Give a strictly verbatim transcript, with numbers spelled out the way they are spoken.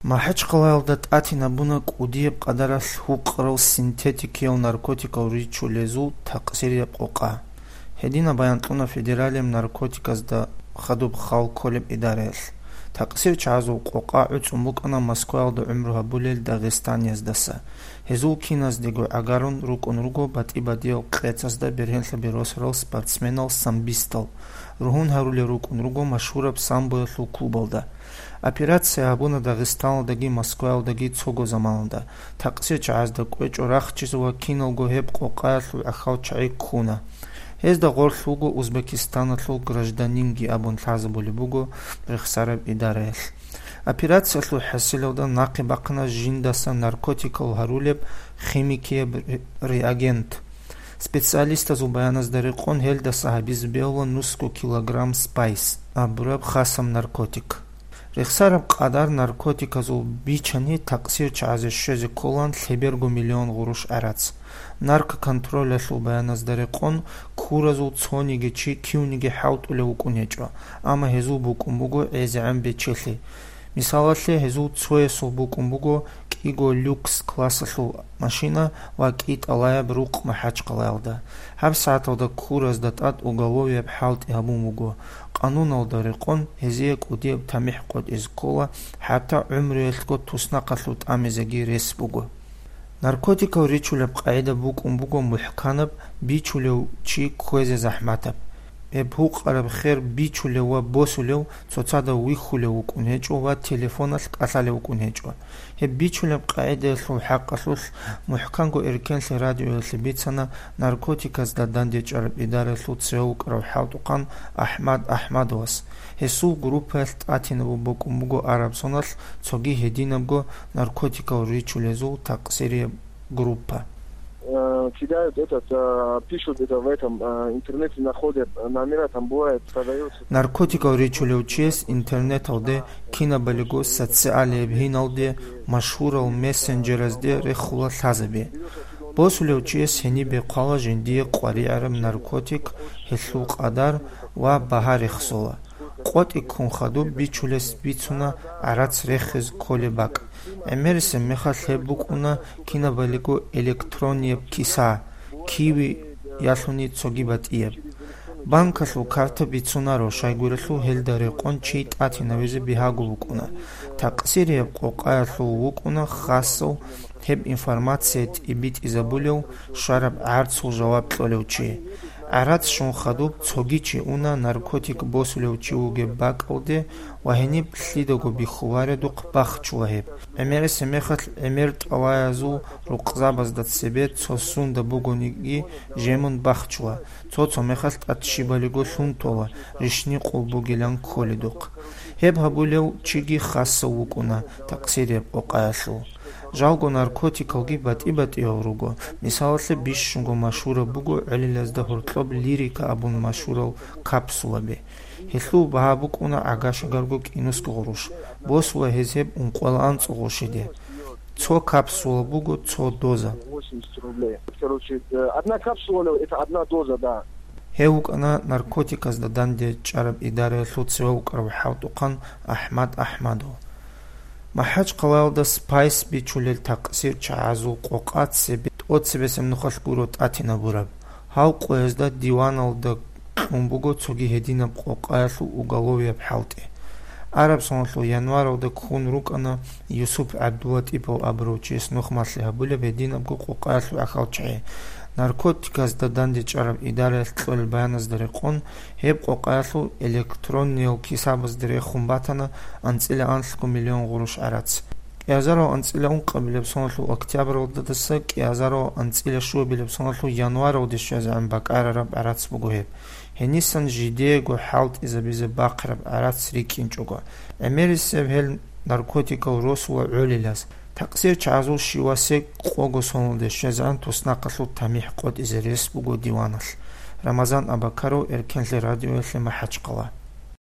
МахӀачхъалаялда тӀатинабуна кӀудияб къадаралъ гьукъарал синтетикиял наркотикал ричулезул такъсирияб къокъа. Гьединаб баян кьуна Федералияб наркотиказда хадуб хал кколеб идараялъ. Такъсир чагӀазул къокъа гӀуцӀун букӀана Москваялда гӀумру гьабулел дагъистанияздаса. Гьезул киназдего гӀагарун рукӀун руго батӀи-бадиял къецазда бергьенлъаби росарал спортсменал-самбистал. Ругьун гьарулел рукӀун руго машгьураб самбоялъул клубалда. Операция гьабуна Дагъистаналдаги Москваялдаги цого заманалда. Такъсир чагӀазда кӀвечӀо рахчиз ва киналго гьеб къокъаялъул гӀахьал чагӀи ккуна. Гьезда гъорлъ вуго Узбекистаналъул гражданинги абун лъазабулеб буго рехсараб идараялъ. Операциялъул хӀасилалда нахъе бахъана жиндаса наркотикал гьарулеб химикияб ре-, реагент. Специалистазул баяназда рекъон гьелдаса гьабизе бегьула нусго килограмм спайс абураб хасаб наркотик. Рехсараб къадар наркотиказул бичани такъсир чагӀазе щвезе кколаан лъеберго миллион гъурущ гӀарац. Наркоконтролялъул баяназда рекъон куразул цониги чи кивниги хӀалтӀулев вукӀун гьечӀо, амма гьезул букӀун буго гӀезегӀан бечелъи. Мисалалъе, гьезул цоясул букӀун буго кӀиго люкс классалъул машина ва кӀитӀалаяб рукъ МахӀачхъалаялда. ГьабсагӀаталда куразда тӀад уголовияб хӀалтӀи гьабун буго. Къануналда рекъон гьезие кӀудияб тамихӀ къотӀизе ккола, хӀатта гӀумруялъго туснахъалъув тӀамизеги рес буго. Наркотикал ричулеб къагӀида букӀун буго мухӀканаб, бичулев чи кквезе захӀматаб. Гьеб гьукъараб хер бичулев ва босулев цоцазда вихьулев вукӀун гьечӀо ва телефоналъ кӀалъалев вукӀун гьечӀо. Гьеб бичулеб къагӀидаялъул хӀакъалъулъ мухӀканго Эркенлъи радиоялъе бицана наркотиказда дандечӀараб идараялъул цеве вукӀарав хӀалтӀухъан АхӀмад АхӀмадовас. Гьесул группаялъ тӀатинабун букӀун буго араб соналъ цоги гьединабго наркотикал ричулезул такъсирияб группа. Э, кидают этот, э, пишут это в этом, э, интернете, находят, э, номера там бывает, продается. Наркотикал ричулев чияс интернеталде, кинабалиго социалияб гьиналде, машгьурал мессенджеразде рехула лъазаби. Босулев чияс гьенибе хъвала жиндие къваригӀараб наркотик, гьелъул къадар ва багьа рехсола. КъотӀи ккун хадуб бичулес бицуна гӀарац рехиз кколеб бакӀ. ГӀемерисеб мехалъ гьеб букӀуна кинабалиго электронияб киса, киви ялъуни цоги батӀияб. Банкалъул карта бицунаро, щайгурелъул гьелда рекъон чи тӀатинавизе бигьаго вукӀуна. Такъсирияб къокъаялъул вукӀуна хасав гьеб информация тӀибитӀизабулев щвараб гӀарцул жаваб кьолев чи. ГӀарац щун хадуб цоги чи уна наркотик босулев чи вугеб бакӀалде ва гьениб лъидаго бихьуваредухъ бахчула гьеб. ГӀемерисеб мехалъ гӀемер тӀалаязул рукъзабазда цебе цо сунда бугониги жемун бахчула, цо-цо мехалъ тӀад щибалиго лъун тола, рищни къулбугилан кколедухъ. Гьеб гьабулев чиги хасав вукӀуна такъсирияб къокъаялъул. Жалго наркотикалги батӀи-батӀиял руго. Мисалалъе, бищунго машгьураб буго гӀолилазда гьоркьоб лирика абун машгьурал капсулаби. Гьелъул багьа букӀуна гӀага-шагарго кӀинусго гъурущ. Босула гьез гьеб ункъоялда анцӀго гъурщиде. Цо капсула буго цо доза. Восемьдесят рублей. Короче, э, одна капсула, это одна доза, да. Гьев вукӀана наркотиказда дандечӀараб идараялъул цеве вукӀарав хӀалтӀухъан АхӀмад АхӀмадов. МахӀачхъалаялда спайс бичулел такъсир чагӀазул къокъа цебе тӀоцебесеб нухалъ гуро тӀатинабураб. Гьав къоязда диваналда кьун буго цоги гьединаб къокъаялъул уголовияб хӀалтӀи. Араб соналъул январалда ккун рукӀана Юсуп ГӀабдулатӀипов абурав чияс нухмалъи гьабулеб гьединабго къокъаялъул гӀахьалчагӀи. Наркотиказда дандечӀараб идараялъ кьолел баяназда рекъон, гьеб къокъаялъул электронниял кисабазде рехун батана анцӀила анлъго миллион гъурущ гӀарац. КӀиазарав анцӀила ункъабилеб соналъул октябралдаса кӀиазарав анцӀила щуабилеб соналъул январалде щвезегӀан бакӀарараб гӀарац буго гьеб. Гьенисан жидеего хӀалтӀизабизе бахъараб гӀарац рикӀкӀинчӀого. ГӀемерисеб гьел наркотикал росула гӀолилаз. Такъсир чагӀазул щивасе къого соналде щвезегӀан туснахъалъул тамихӀ къотӀизе рес буго диваналъ. Рамазан Абакаров, Эркенлъи радиоялъе, МахӀачхъала.